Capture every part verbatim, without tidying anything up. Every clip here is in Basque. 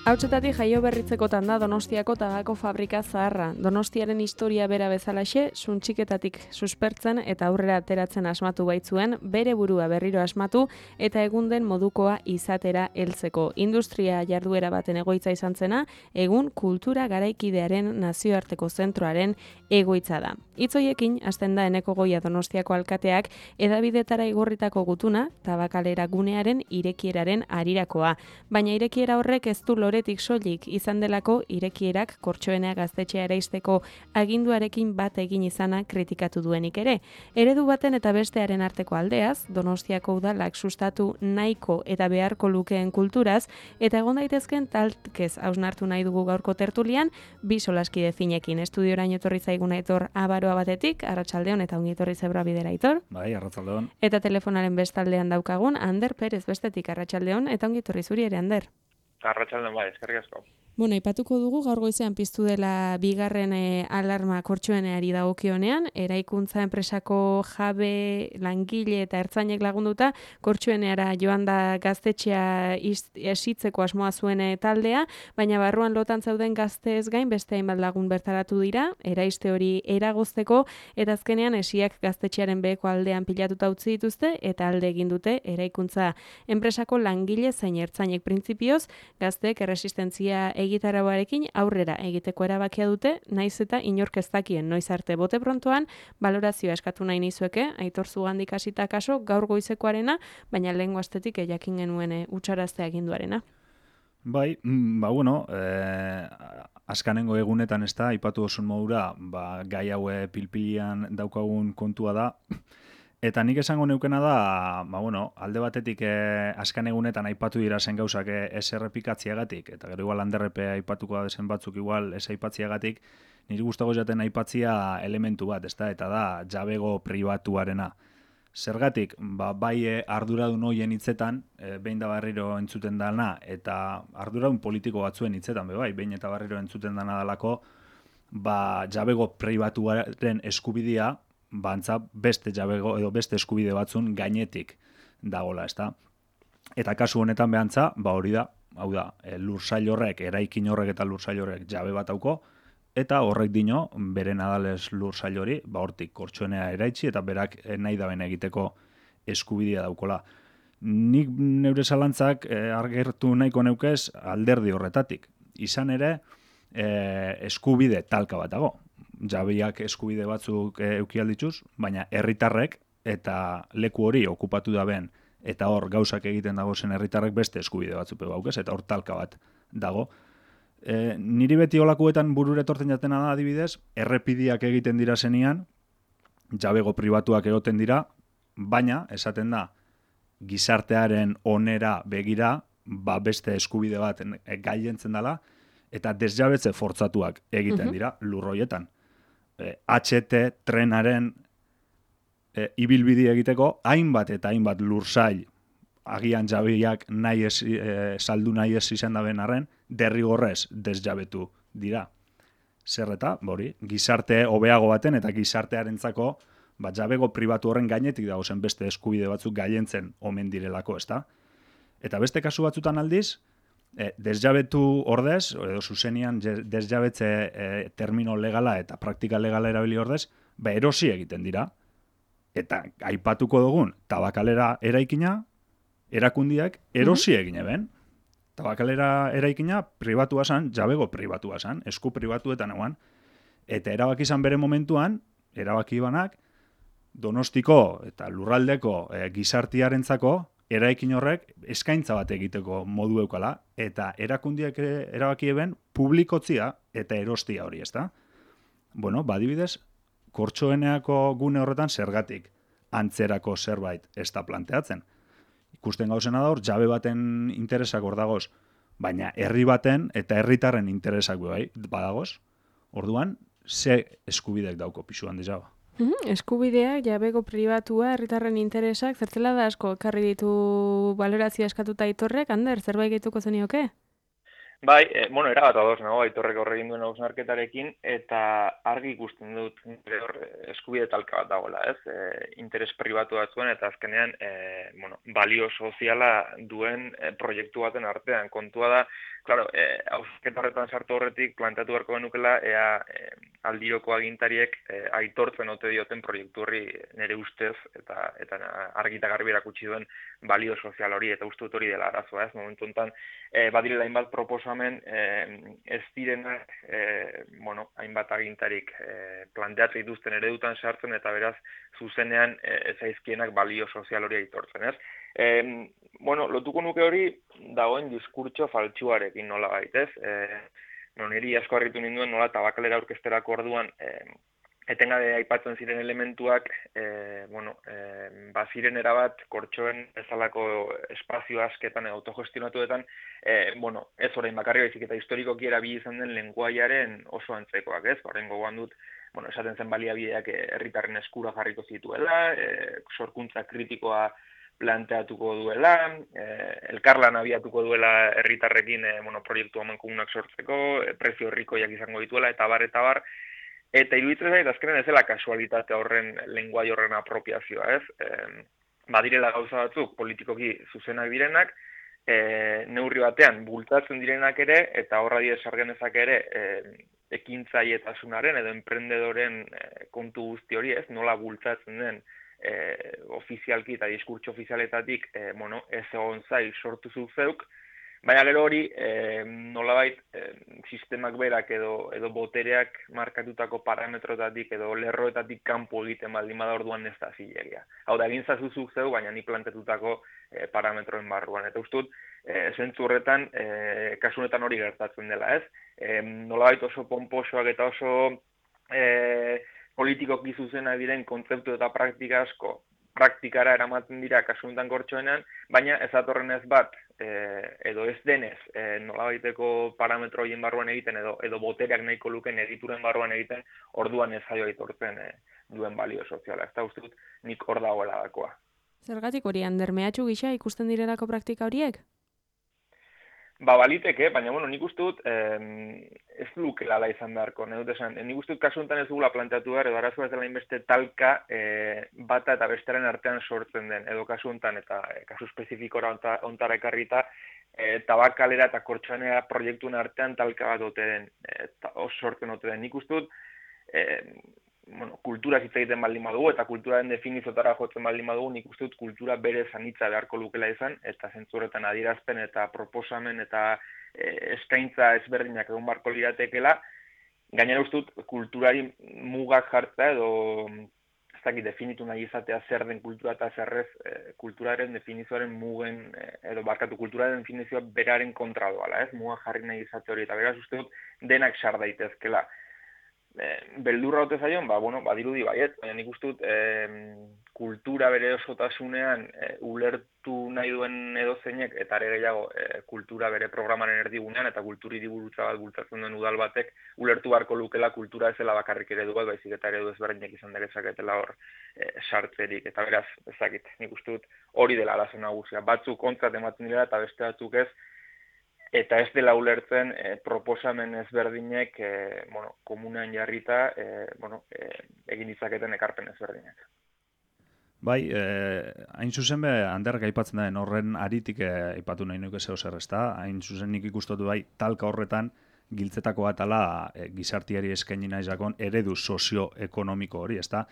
Hautsetatik jaio berritzekotan da Donostiako tabako fabrika zaharra. Donostiaren historia bera bezalaxe, suntxiketatik suspertzen eta aurrera ateratzen asmatu baitzuen, bere burua berriro asmatu eta egun den modukoa izatera heltzeko. Industria jarduera baten egoitza izan zena, egun kultura garaikidearen nazioarteko zentroaren egoitza da. Hitzoiekin hasten da Eneko Goia Donostiako alkateak hedabidetara igorritako gutuna, tabakalera gunearen irekieraren harirakoa. Baina irekiera horrek ez du loretik soilik izan delako irekierak Kortxoenea gaztetxea eraisteko aginduarekin bat egin izana kritikatu duenik ere. Eredu baten eta bestearen arteko aldeaz, Donostiako udalak sustatu nahiko eta beharko lukeen kulturaz, eta egon daitezken talkez hausnartu nahi dugu gaurko tertulian, bi solaskide finekin. Estudioraino etorri zaiguna Aitor Abaroa batetik, arratsaldeon eta ongi etorri Zebra Bidera, Aitor. Bai, arratsaldeon. Eta telefonaren bestaldean daukagun Ander Perez bestetik, arratsaldeon eta ongi etorri zuri ere, Ander. Arratsaldeon bai, eskerrik asko. Bueno, aipatuko dugu gaur goizean piztu dela bigarren e, alarma Kortxoeneari dagokionean, eraikuntza enpresako jabe, langile eta ertzainek lagunduta Kortxoeneara joan da gaztetxea esitzeko asmoa zuen taldea, baina barruan lotan zauden gazteez gain beste hainbat lagun bertaratu dira, eraiste hori eragozteko eta azkenean esiak gaztetxearen beheko aldean pilatuta utzi dituzte eta alde egin dute eraikuntza enpresako langile zein ertzainek printzipioz gazteek erresistentzia egitarauarekin aurrera egiteko erabakia dute, naiz eta inork ez dakien noiz arte bote prontoan, balorazioa eskatu nahi nizueke, Aitor zugandik hasita kaso gaur goizekoarena, baina lehengo astetik jakin genuen utxaraztea aginduarena. Bai, ba bueno, eh, azkanengo egunetan ez da, aipatu osun modura, ba, gai haue pilpilian daukagun kontua da, eta nik esango neukena da, ba bueno, alde batetik eh, azken egunetan aipatu dira zen gauzak eh, ez errepikatziagatik, eta gero igual Anderrepe aipatuko da dezen batzuk igual ez aipatziagatik, niri gustago jaten aipatzia elementu bat, ezta? Eta da jabego pribatuarena. Zergatik, ba, bai eh, arduradun hoien hitzetan, eh, behin da barriro entzuten dana, eta arduradun politiko batzuen hitzetan, be bai, behin eta barriro entzuten dana dalako, ba, jabego pribatuaren eskubidea, bantza beste jabego edo beste eskubide batzun gainetik dagola, ezta? Eta kasu honetan behantza, ba hori da, hau da, e, lursail horrek, eraikin horrek eta lursail horrek jabe bat dauko, eta horrek dino, bere nadales lursail hori, ba hortik Kortxoenea eraitsi eta berak nahi daben egiteko eskubidea daukola. Nik neure zalantzak e, argertu nahiko neukez alderdi horretatik. Izan ere, e, eskubide talka bat dago. Jabeak eskubide batzuk eukialdituz, baina herritarrek eta leku hori okupatu daben eta hor gauzak egiten dago zen herritarrek beste eskubide batzuk baukez, eta hor talka bat dago. E, niri beti olakuetan burure etortzen jatena da adibidez, errepidiak egiten dira zenian, jabego pribatuak egoten dira, baina esaten da gizartearen onera begira, ba beste eskubide bat gailentzen dela, eta desjabetze fortzatuak egiten dira lurroietan. H T trenaren e, ibilbidi egiteko hainbat eta hainbat lursail agian jabeak nahi ez, e, saldu nahi ez izan daben arren, derrigorrez desjabetu dira. Zer eta, bori, gizarte hobeago baten eta gizartearentzako ba, jabego pribatu horren gainetik dago zen beste eskubide batzuk gailentzen omen direlako, ezta? Eta beste kasu batzutan aldiz, E, desjabetu ordez, edo zuzenian desjabetze e, termino legala eta praktika legala erabili ordez, ba erosi egiten dira. Eta aipatuko dugun, tabakalera eraikina, erakundiak erosi egin eben. Tabakalera eraikina pribatua zan, jabego pribatua zan, esku pribatuetan eguan. Eta erabaki izan bere momentuan, erabaki banak, Donostiko eta lurraldeko e, gizartiarentzako eraikin horrek eskaintza bat egiteko modu eukala, eta erakundiak erabaki eben publikotzia eta erostia hori, ezta? Bueno, badibidez, Kortxoeneako gune horretan zergatik antzerako zerbait ez da planteatzen. Ikusten gauzena da hor, jabe baten interesak hor dagoz, baina herri baten eta herritarren interesak bai badagoz. Orduan, ze eskubideak dauko pisuan dezaba? Mhm, eskubideak, jabego pribatua, herritarren interesak, zertzela da asko, ekarri ditu balorazio eskatuta Aitorrek, Ander, zerbait gehituko zenioke? Bai, e, bueno, erabat ados nago, Aitorrek horregin duen hausnarketarekin, eta argi ikusten dut nire hor eskubide talka bat dagoela, ez? E, interes pribatu bat zuen, eta azkenean, e, bueno, balio soziala duen e, proiektu baten artean. Kontua da, claro, e, hausketa horretan sartu horretik, planteatu beharko genukela, ea e, aldiroko agintariek e, aitortzen ote dioten proiektu horri nire ustez, eta eta argi eta garbi erakutsi duen balio sozial hori, eta uste dut hori dela arazoa, ez? Momentu honetan, e, badirela hainbat proposamen e, ez direnak, e, bueno, hainbat agintarik e, planteatzen dituzten eredutan sartzen, eta beraz, zuzenean e, ez aizkienak balio sozial hori aitortzen, ez? E, bueno, lotuko nuke hori dagoen diskurtso faltsuarekin nola baitez, e, no, niri asko harritu ninduen nola tabakalera aurkezterako orduan, e, etengabe aipatzen ziren elementuak, e, bueno, e, baziren erabat kortxoen bezalako espazio asketan edo autogestionatuetan, e, bueno, ez orain bakarri baizik eta historikoki erabili izan den lenguaiaren oso antzekoak, ez? Orain gogoan dut, bueno, esaten zen baliabideak herritarren eskura jarriko zituela, e, sorkuntza kritikoa planteatuko duela, eh, elkarlan abiatuko duela herritarrekin eh, bueno, proiektu amankomunak sortzeko, eh, prezio herrikoiak izango dituela, eta bar, eta bar, eta iruditzen zait, azkenen ez dela kasualitate horren lenguai horren apropiazioa, ez? Eh, badirela gauza batzuk politikoki zuzenak direnak, eh, neurri batean bultzatzen direnak ere, eta horra die sargenezak ere, eh, ekintzaietasunaren edo enprendedoren eh, kontu guzti hori, ez? Nola bultzatzen den E, ofizialki eta diskurtso ofizialetatik e, bueno, ez egon zai sortu zu zeuk, baina gero hori e, nolabait e, sistemak berak edo, edo botereak markatutako parametrotatik edo lerroetatik kanpo egiten baldin bada orduan ez da zilegia. Hau da, egin zazu zu zeuk, baina ni plantetutako e, parametroen barruan. Eta ustut, e, zentzu horretan, e, kasunetan hori gertatzen dela, ez? E, nolabait oso pomposoak eta oso E, politikoki zuzena diren kontzeptu eta praktika asko praktikara eramaten dira kasuntan kortxoenean, baina ez atorren ez bat, e, edo ez denez, e, nolabaiteko parametro horien barruan egiten, edo, edo botereak nahiko luken egituren barruan egiten, orduan ez jaio aitortzen e, duen balio soziala. Ez da uste dut nik hor dagoela dakoa. Zergatik hori, Ander, mehatxu gisa ikusten direlako praktika horiek? Ba, baliteke, baina, bueno, nik uste dut eh, ez lukela ala izan beharko, nahi dut esan. Nik uste dut kasu honetan ez dugula planteatu behar, edo arazoa ez dela inbeste talka eh, bata eta bestaren artean sortzen den, edo kasu honetan, eta eh, kasu espezifiko ontara ekarrita, eh, tabakalera eta kortxoanea proiektuen artean talka bat ote den, eh, oso sortzen ote den. Nik uste dut, eh, bueno, kultura hitz egiten baldin badugu, eta kulturaren definizotara jotzen baldin badugu, nik uste dut kultura bere zanitza beharko lukela izan, eta zentzurretan adierazpen eta proposamen eta e, eskaintza ezberdinak egon barko liratekela, gainera uste dut kulturari mugak jartzea edo ez dakit definitu nahi izatea zer den kultura eta zerrez e, kulturaren definizioaren mugen, e, edo barkatu kulturaren definizioa beraren kontra doala, ez? Mugak jarri nahi izate hori, eta beraz uste dut denak sar daitezkela. Beldurra ote zaion, ba, bueno, badirudi baiet, baina nik uste dut e, kultura bere osotasunean e, ulertu nahi duen edozeinek, eta ere gehiago e, kultura bere programaren erdigunean, eta kulturi diburutza bat bultzatzen duen udal batek, ulertu beharko lukela kultura ezela bakarrik eredu bat, baizik eta eredu ezberdinak izan dezaketela hor e, sartzerik, eta beraz, ezakit, nik uste dut hori dela arazo nagusia. Batzuk kontzat ematen dira, eta beste batzuk ez, eta ez dela ulertzen e, proposamen ezberdinek e, bueno, komunean jarrita e, bueno, e, egin ditzaketen ekarpen ezberdinek. Bai, eh, hain zuzen be, Anderrek aipatzen da, horren aritik eh, aipatu nahi nuke zeo zer, ezta? Hain zuzen nik ikustotu bai, talka horretan giltzetako atala e, gizartiari eskaini nahi zakon eredu sozioekonomiko hori, ezta?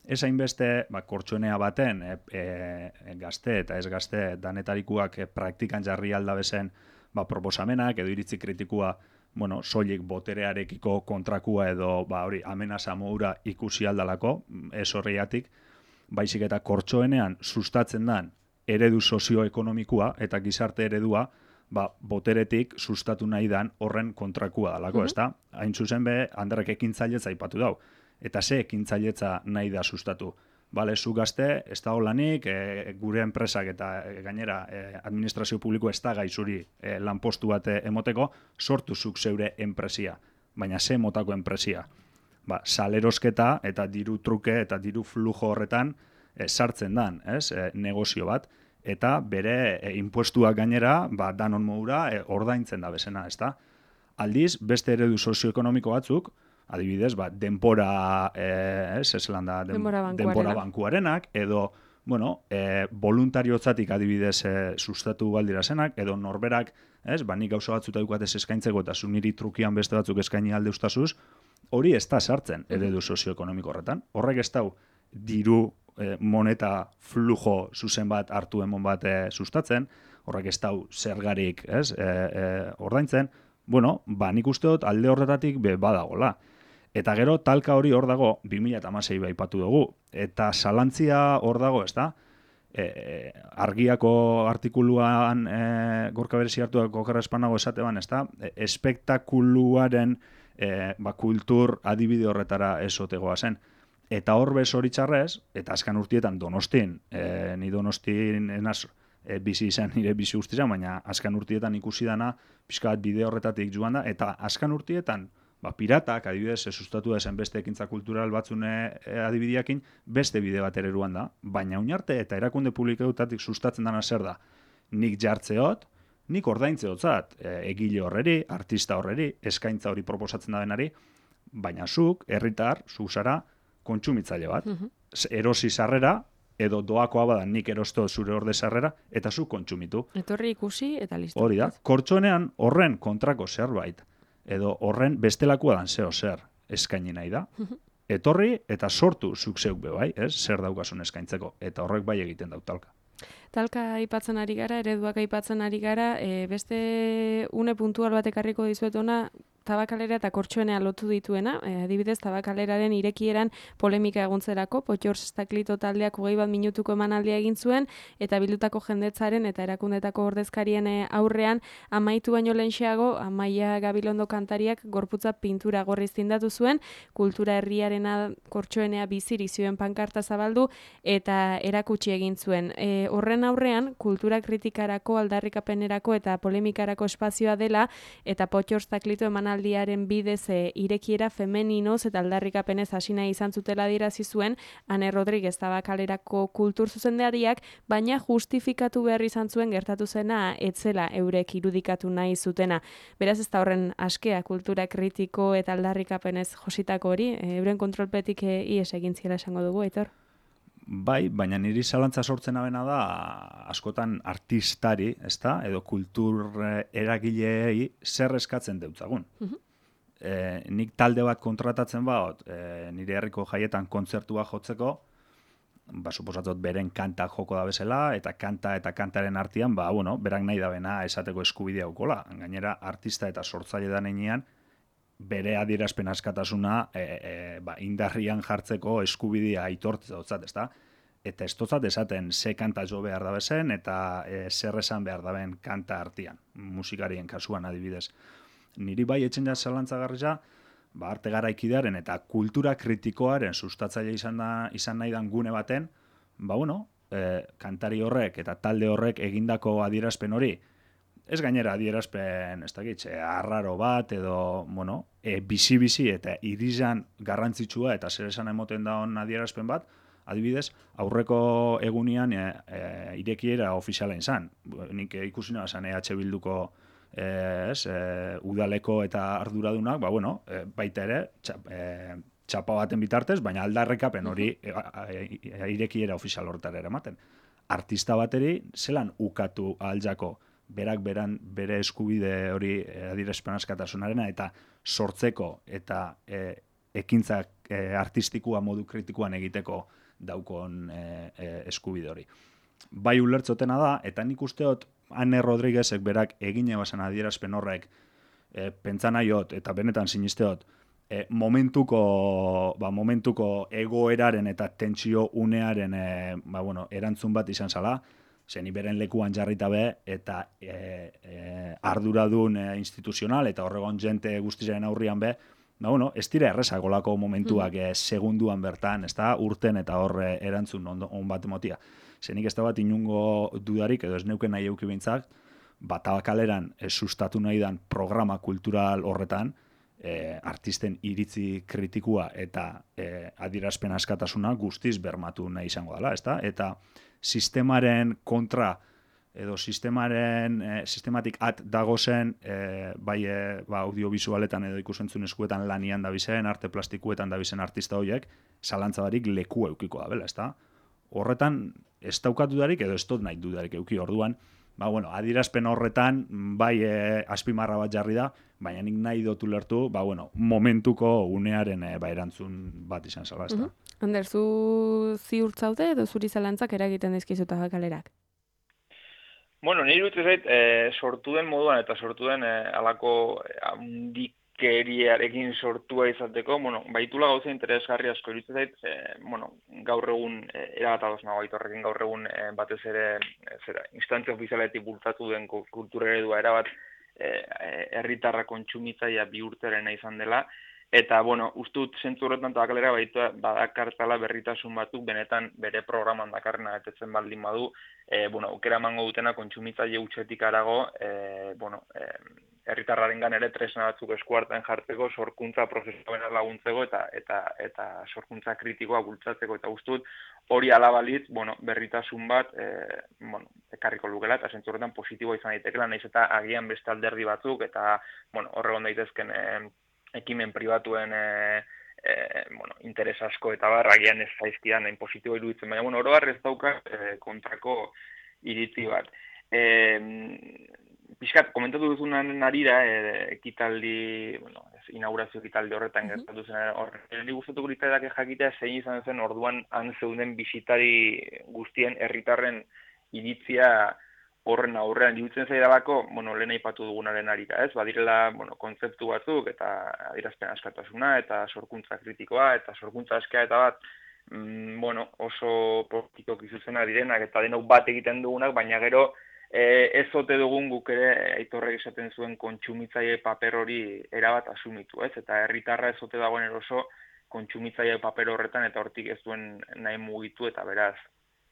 Ez hainbeste, ba, kortxoenea baten e, e, gazte eta ez gazte danetarikuak e, praktikan jarri aldabezen ba, proposamenak edo iritzi kritikua, bueno, soilik boterearekiko kontrakua edo ba, hori amenaza moura ikusi aldalako, ez horreiatik, baizik eta kortxoenean sustatzen dan eredu sozioekonomikoa eta gizarte eredua, ba, boteretik sustatu nahi dan horren kontrakua dalako, mm-hmm. ezta? Hain zuzen be, Anderrek ekintzailetza aipatu dau. Eta ze ekintzailetza nahi da sustatu? Bale, zu gazte, ez da holanik, e, gure enpresak eta e, gainera e, administrazio publiko ez da gaizuri e, lanpostu bat emoteko, sortu zuk zeure enpresia. baina ze motako enpresia. Ba, salerosketa eta diru truke eta diru flujo horretan e, sartzen dan, ez? E, negozio bat, eta bere e, impuestuak gainera, ba, danon modura e, ordaintzen da bezena, ezta? Aldiz, beste eredu sozioekonomiko batzuk, adibidez, ba, denpora, e, ez, ez da, den, denbora bankuarena. denbora bankuarenak, edo, bueno, e, voluntariozatik adibidez e, sustatu baldira zenak, edo norberak, ez, ba, nik gauza batzuta dukatez eskaintzeko eta zu niri trukian beste batzuk eskaini alde ustazuz, hori ez da sartzen eredu sozioekonomiko horretan. Horrek ez dau diru e, moneta flujo zuzen bat hartu emon bat e, sustatzen, horrek ez dau zergarik, ez, e, e, ordaintzen. Bueno, ba, nik uste dut alde horretatik be badagola. Eta gero talka hori hor dago, bi mila hamasei baipatu dugu. Eta zalantzia hor dago, ez da? E, argiako artikuluan e, gorka berezi hartuak okerra espanago esate ban, ez da? E, espektakuluaren e, ba, kultur adibide horretara esotegoa zen. Eta hor bez hori txarrez, eta azkan urtietan Donostin, e, ni Donostin enaz, E, bizi izan, nire bizi guztizan, baina azkan urtietan ikusi dana, pixka bat bide horretatik joan da, eta azkan urtietan, ba, piratak, adibidez, sustatu da zen beste ekintza kultural batzune e, adibideakin, beste bide bat ereruan da, baina oinarte eta erakunde publikoetatik sustatzen dana zer da, nik jartzeot, nik ordaintzeotzat, e, egile horreri, artista horreri, eskaintza hori proposatzen da denari, baina zuk, herritar, zu zara, kontsumitzaile bat, mm-hmm. erosi sarrera, edo doakoa bada nik erosto zure orde sarrera, eta zu kontsumitu. Etorri ikusi eta listo. Hori da, kortxonean horren kontrako zerbait, edo horren bestelakua dan zeo zer eskaini nahi da. Etorri eta sortu zuk zeuk be bai, ez? Zer daukasun eskaintzeko, eta horrek bai egiten dau talka. Talka aipatzen ari gara, ereduak aipatzen ari gara, e, beste une puntual bat ekarriko dizuet ona, tabakalera eta kortxoenea lotu dituena, e, adibidez, tabakaleraren irekieran polemika egontzerako, Potxors Estaklito taldeak hogei bat minutuko emanaldia egin zuen, eta bildutako jendetzaren eta erakundetako ordezkarien aurrean, amaitu baino lehenxeago, Amaia Gabilondo kantariak gorputza pintura gorriz tindatu zuen, kultura herriarena kortxoenea bizirik zioen pankarta zabaldu, eta erakutsi egin zuen. E, horren aurrean, kultura kritikarako, aldarrikapenerako eta polemikarako espazioa dela, eta Potxors Estaklito emanaldia aldiaren bidez e, irekiera femeninoz eta aldarrikapenez hasi nahi izan zutela adierazi zuen Ane Rodriguez Tabakalerako kultur zuzendariak, baina justifikatu behar izan zuen gertatu zena etzela eurek irudikatu nahi zutena. Beraz ez da horren askea kultura kritiko eta aldarrikapenez jositako hori, e, euren kontrolpetik e, ies egin ziela esango dugu, Aitor? Bai, baina niri zalantza sortzen abena da askotan artistari, ezta, edo kultur eragileei zer eskatzen deutzagun. Uh-huh. E, nik talde bat kontratatzen baot, e, nire herriko jaietan kontzertua jotzeko, ba, suposatzot beren kanta joko da bezala, eta kanta eta kantaren artean, ba, bueno, berak nahi da bena esateko eskubidea ukola. Gainera, artista eta sortzaile da nenean, bere adierazpen askatasuna e, e, ba, indarrian jartzeko eskubidea aitortzeotzat, ezta? Eta ez totzat esaten ze kanta jo behar da bezen eta e, zer esan behar da ben kanta artean, musikarien kasuan adibidez. Niri bai etxen ja zalantzagarria, ba, arte garaikidearen eta kultura kritikoaren sustatzaile izan, da, izan nahi dan gune baten, ba, bueno, e, kantari horrek eta talde horrek egindako adierazpen hori, ez gainera adierazpen, ez dakit, arraro bat, edo, bueno, e, bizi-bizi eta irizan garrantzitsua eta zer esan emoten daun adierazpen bat, adibidez, aurreko egunian e, e, irekiera ofiziala izan. Nik e, ikusi nahi esan E H Bilduko e, ez, e, udaleko eta arduradunak, ba, bueno, e, baita ere, txap, e, txapa baten bitartez, baina aldarrekapen hori e, e, e, irekiera ofizial horretara eramaten. Artista bateri, zelan ukatu ahaltzako, berak beran bere eskubide hori adierazpen askatasunarena eta sortzeko eta e, ekintzak e, artistikua modu kritikoan egiteko daukon e, e, eskubide hori. Bai ulertzotena da, eta nik usteot Ane Rodriguezek berak egine basan adierazpen horrek e, pentsa nahiot eta benetan sinisteot e, momentuko, ba, momentuko egoeraren eta tentsio unearen e, ba, bueno, erantzun bat izan zala, zeni beren lekuan jarrita be, eta e, e, arduradun e, instituzional, eta horregon jente guztizaren aurrian be, ba, bueno, ez dira errezak olako momentuak mm. e, segunduan bertan, ez da, urten eta horre erantzun on, on bat emotia. Zenik ez da bat inungo dudarik, edo ez neuken nahi euki bintzak, bat abakaleran e, sustatu nahi dan programa kultural horretan, e, artisten iritzi kritikua eta e, adierazpen askatasuna guztiz bermatu nahi izango dela, ezta? Eta sistemaren kontra edo sistemaren e, sistematik at dagozen e, bai e, ba, audiovisualetan edo ikusentzun eskuetan lanian dabizen, arte plastikuetan dabizen artista horiek, zalantza barik leku eukiko da, bela, ezta? Horretan, ez daukat dudarik edo ez dut nahi dudarik euki orduan, ba, bueno, adierazpen horretan, bai e, azpimarra bat jarri da, baina nik nahi dut ulertu, ba, bueno, momentuko unearen e, ba, erantzun bat izan zala, ezta? Uh-huh. Ander, zu ziurtzaude edo zuri zalantzak eragiten dizkizuta galerak? Bueno, nire dut zait, e, sortu den moduan eta sortu den e, alako handikeriarekin sortua izateko, bueno, baitula gauza interesgarri asko iruditzen zait, e, bueno, gaur egun e, erabat ados nago Aitorrekin gaur egun e, batez ere e, zera, instantzia ofizialetik bultzatu den kultura eredua erabat herritarra e, kontsumitzailea bihurtzarena izan dela. Eta, bueno, ustut zentzu horretan tabakalera baitu badakartala berritasun batzuk benetan bere programan dakarrena betetzen baldin badu, e, bueno, aukera emango dutena kontsumitzaile hutsetik arago, e, bueno, e, herritarrarengan ere tresna batzuk eskuartean jartzeko, sorkuntza prozesuena laguntzeko eta eta eta sorkuntza kritikoa bultzatzeko eta ustut hori alabalitz, bueno, berritasun bat, e, bueno, ekarriko lukela eta zentzu horretan positiboa izan daitekela, naiz eta agian beste alderdi batzuk eta, bueno, horregon daitezken e, ekimen pribatuen e, e, bueno, interes asko eta bar, agian ez zaizkidan nahin positibo iruditzen, baina, bueno, oro ez dauka e, kontrako iritzi bat. E, Piskat, komentatu duzunan arira, e, ekitaldi, bueno, inaugurazio ekitaldi horretan uh-huh. gertatu zen, horretan gustatuko litzaidake jakitea zein izan zen orduan han zeuden bisitari guztien herritarren iritzia horren aurrean iruditzen zaidalako, bueno, lehen aipatu dugunaren arira, ez? Badirela, bueno, kontzeptu batzuk eta adierazpen askatasuna eta sorkuntza kritikoa eta sorkuntza askea eta bat, mm, bueno, oso politikok izuzena direnak eta denok bat egiten dugunak, baina gero e, ez ote dugun guk ere Aitorrek esaten zuen kontsumitzaile paper hori erabat asumitu, ez? Eta herritarra ez ote dagoen eroso kontsumitzaile paper horretan eta hortik ez duen nahi mugitu eta beraz.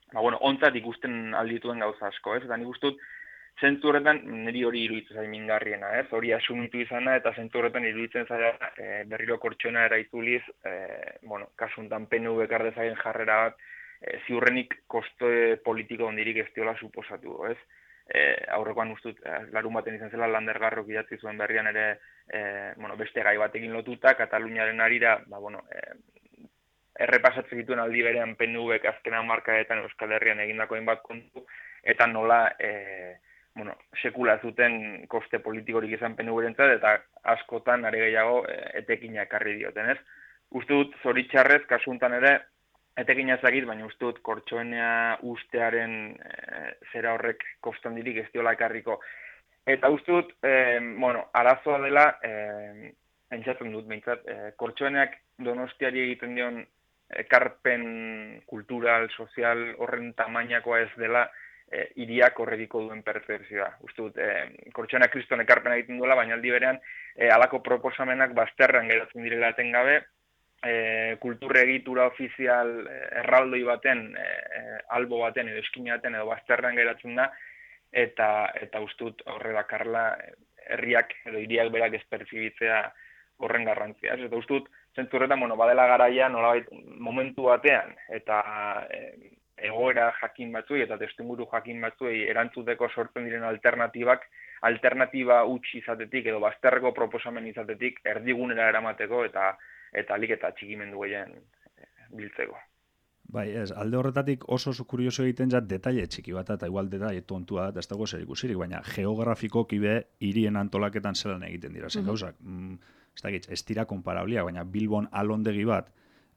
Ba, bueno, ontzat ikusten aldituen gauza asko, ez? Eta nik ustut, zentzu horretan, niri hori iruditzen zain mingarriena, ez? Hori asumitu izana, eta zentzu horretan iruditzen zaila e, berriro kortxona eraituliz, e, bueno, kasuntan P N V kardezagen jarrera bat, e, ziurrenik koste politiko ondirik ez diola suposatu, ez? E, aurrekoan ustut, e, larun baten izan zela, Landergarrok idatzi zuen berrian ere, e, bueno, beste gai batekin lotuta, Kataluniaren arira, ba, bueno, e, errepasatzen dituen aldi berean P N Vek azkena markaetan Euskal Herrian egindako hainbat kontu, eta nola e, bueno, sekula zuten koste politikorik izan P N Vrentzat, eta askotan are gehiago e, etekina ekarri dioten, ez? Uste dut, zoritxarrez, kasuntan ere, etekina ezagit, baina uste dut, kortxoenea ustearen e, zera horrek kostandirik ez diola ekarriko. Eta uste dut, e, bueno, arazoa dela, e, entzatzen dut, behintzat, e, kortxoeneak Donostiari egiten dion ekarpen kultural, sozial horren tamainakoa ez dela e, iriak horrekiko duen percepzioa. Uste dut, e, kortxoena kriston ekarpena egiten duela, baina aldi berean e, alako proposamenak bazterran geratzen direla etengabe, e, kulturre egitura ofizial e, erraldoi baten, e, albo baten edo eskina baten edo bazterran geratzen da, eta eta uste dut horre dakarla herriak edo iriak berak ez pertsibitzea horren garrantzia. Eta uste dut, zentzu horretan, bueno, badela garaia nolabait momentu batean eta e, egoera jakin batzuei eta testuinguru jakin batzuei erantzuteko sortzen diren alternatibak, alternatiba utzi izatetik edo bazterreko proposamen izatetik erdigunera eramateko eta eta alik eta txikimendu gehien biltzeko. Bai, ez, alde horretatik oso kurioso egiten zat detaile txiki bat, eta igual detaile tontua bat, ez dago zer ikusirik, baina geografikoki be hirien antolaketan zelan egiten dira, zen gauzak. Mm, ez dakit, ez dira konparablia, baina Bilbon alondegi bat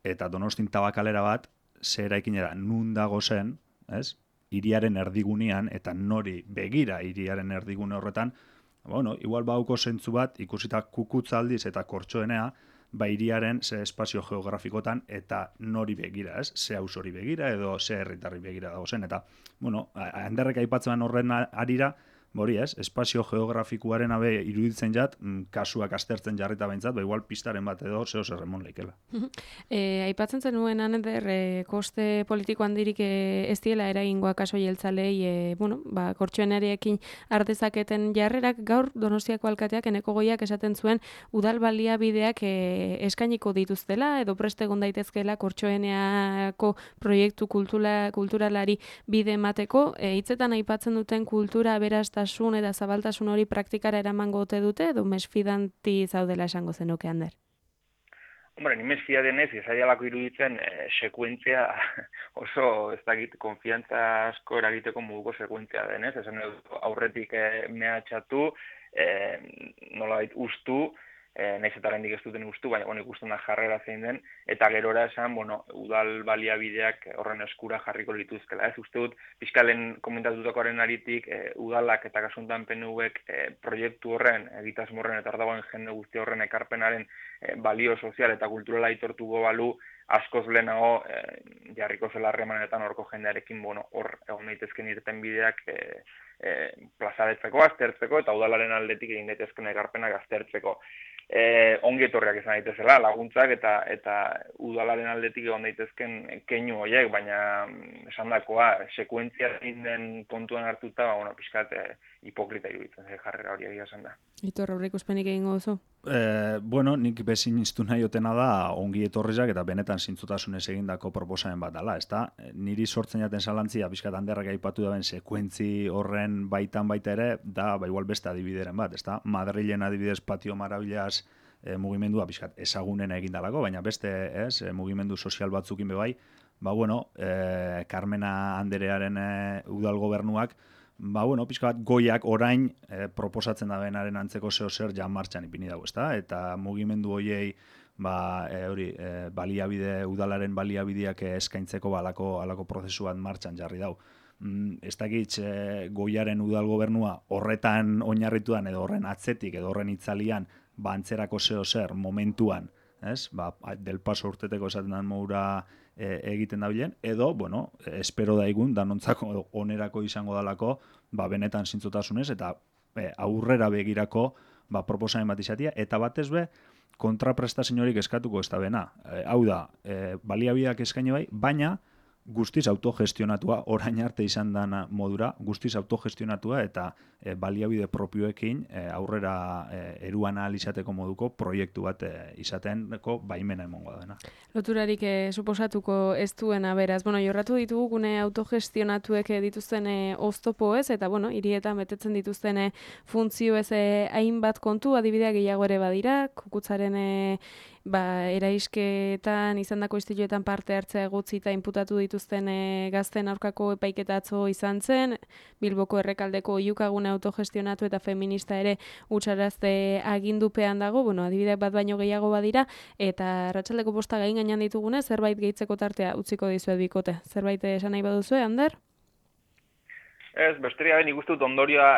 eta Donostin tabakalera bat zera ikinera nun dago zen, ez? Hiriaren erdigunean eta nori begira hiriaren erdigune horretan, bueno, igual bauko zentzu bat ikusita kukutza aldiz eta kortxoenea, ba hiriaren ze espazio geografikotan eta nori begira, ez? Ze auzo hori begira edo ze herritarri begira dago zen eta bueno, Anderrek aipatzen horren arira, Hori ez, espazio geografikoaren abe iruditzen jat, kasuak aztertzen jarrita behintzat, ba igual pistaren bat edo zeo zer remon leikela. E, aipatzen zenuen Ander, e, koste politiko handirik e, ez diela eragingoa kaso jeltzalei, e, bueno, ba, kortxoenariekin ardezaketen jarrerak gaur Donostiako alkateak Eneko Goiak esaten zuen udal baliabideak e, eskainiko dituztela edo preste egon daitezkeela kortxoeneako proiektu kultura, kulturalari bide emateko, e, hitzetan aipatzen duten kultura aberastasun eta zabaltasun hori praktikara eramango ote dute edo mesfidanti zaudela esango zenuke Ander? Hombre, ni mesfia denez, ezaialako iruditzen e, sekuentzia oso, ez dakit, konfiantza asko eragiteko moduko sekuentzia denez, esan aurretik e, mehatxatu, e, nolabait ustu, e, nahiz eta oraindik ez duten ustu, baina bueno, ikusten da jarrera zein den, eta gerora esan, bueno, udal baliabideak horren eskura jarriko lituzkela. Ez uste dut, fiskalen komentatutakoaren aritik, e, udalak eta kasuntan P N Vek e, proiektu horren, egitasmo horren eta ardagoen jende guzti horren ekarpenaren e, balio sozial eta kulturala aitortuko balu, askoz lehenago e, jarriko zela harremanetan horko jendearekin, bueno, hor egon daitezken irten bideak e, e, plazaretzeko, aztertzeko, eta udalaren aldetik egin daitezken ekarpenak aztertzeko. E, ongi etorriak izan daitezela, laguntzak eta eta udalaren aldetik egon daitezken keinu horiek, baina esandakoa sekuentzia den kontuan hartuta, ba, bueno, pixkat e, hipokrita iruditzen ze jarrera hori egia esan da. Itor, aurreikuspenik egingo duzu? Eh, bueno, nik bezin iztu nahi otena da ongi etorrizak eta benetan zintzotasunez egindako proposamen bat dela, ezta? Niri sortzen jaten zalantzia, pixkat Anderrak aipatu daben sekuentzi horren baitan baita ere, da, ba, igual beste adibideren bat, ezta? Madrilen adibidez Patio Marabillas e, mugimendua pixkat ezagunen egindalako, baina beste, ez, e, mugimendu sozial batzukin bebai, ba, bueno, e, Carmena Anderearen e, udal gobernuak, ba, bueno, pixka bat goiak orain e, proposatzen da benaren antzeko zeo zer jan martxan ipini dago, ezta? Eta mugimendu hoiei ba, e, hori, e, baliabide, udalaren baliabideak eskaintzeko balako alako prozesu bat martxan jarri dau. Mm, ez dakit e, goiaren udal gobernua horretan oinarrituan edo horren atzetik edo horren itzalian ba, antzerako zeo zer momentuan, ez? Ba, del paso urteteko esaten den modura e, egiten dabilen, edo, bueno, espero daigun, danontzako onerako izango dalako, ba, benetan zintzotasunez, eta e, aurrera begirako ba, proposamen bat izatia, eta batez be, kontraprestazio horik eskatuko ez da bena. E, hau da, e, baliabideak eskaini bai, baina guztiz autogestionatua, orain arte izan dana modura, guztiz autogestionatua eta e, baliabide propioekin e, aurrera e, eruan ahal izateko moduko proiektu bat e, izateko baimena emongo dena. Loturarik e, suposatuko ez duena beraz. Bueno, jorratu ditugu gune autogestionatuek dituzten e, oztopo ez, eta bueno, hirietan betetzen dituzten e, funtzio ez e, hainbat kontu, adibidea gehiago ere badira, kukutzaren e, ba, eraisketan, izandako istiluetan parte hartzea egutzi eta inputatu dituzten e, gazten aurkako epaiketa atzo izan zen, Bilboko Errekaldeko oihukagune autogestionatu eta feminista ere utxarazte agindupean dago, bueno, adibideak bat baino gehiago badira, eta arratsaldeko posta gain gainean ditugune, zerbait gehitzeko tartea utziko dizuet bikote. Zerbait esan nahi baduzue, Ander? Ez, besteria ben ikustu dut ondorioa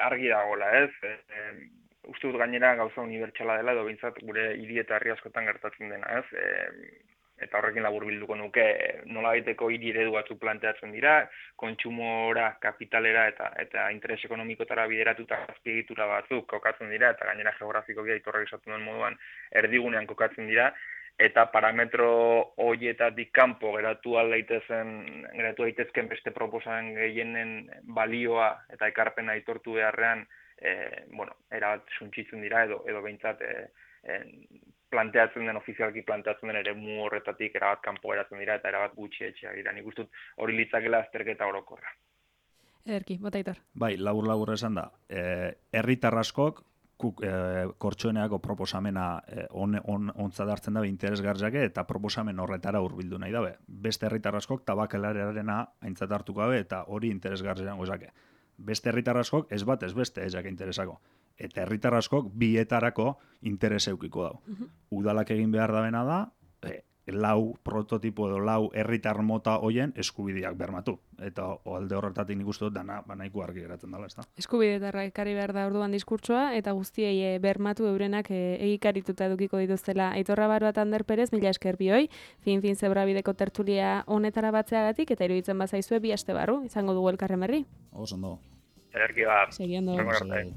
argi dagoela, ez? E, e, uste dut gainera gauza unibertsala dela, edo behintzat gure hiri eta herri askotan gertatzen dena, ez? E, eta horrekin laburbilduko nuke, nola baiteko hiri eredu batzuk planteatzen dira, kontsumora, kapitalera eta eta interes ekonomikotara bideratuta azpiegitura batzuk kokatzen dira, eta gainera geografikoki aitorrek esaten duen moduan erdigunean kokatzen dira, eta parametro horietatik kanpo geratu daitezen, geratu daitezken beste proposamen gehienen balioa eta ekarpena aitortu beharrean, e, bueno, erabat suntsitzen dira edo edo behintzat e, e, planteatzen den, ofizialki planteatzen den ere mu horretatik erabat kanpo geratzen dira eta erabat gutxi etxeak dira. Nik uste dut hori litzakela azterketa orokorra. Ederki, botaitor. Bai, labur-labur esan da. E, herritar askok kuk, e, kortxoeneako proposamena e, on, on, ontzat hartzen dabe interesgarriake eta proposamen horretara hurbildu nahi dabe. Beste herritar askok tabakelararena aintzat hartuko dabe eta hori interesgarri izango zake. Beste herritar askok ez bat ez beste ezak interesako. Eta herritar askok bietarako interes eukiko dau. Uh-huh. Udalak egin behar dabena da, e, lau prototipo edo lau herritar mota hoien eskubideak bermatu. Eta alde horretatik nik uste dut dana banaiko argi geratzen dela, ezta? Eskubidetarra ekarri behar da orduan diskurtsoa, eta guztiei e, bermatu eurenak e, egikarituta edukiko dituztela. Aitorra Barbat Ander Perez, mila esker bioi, fin-fin zebrabideko tertulia honetara batzeagatik, eta iruditzen bazaizue bi aste barru, izango dugu elkarren berri. Oso ondo. Ederki ba. Seguindo. Horrengor arte.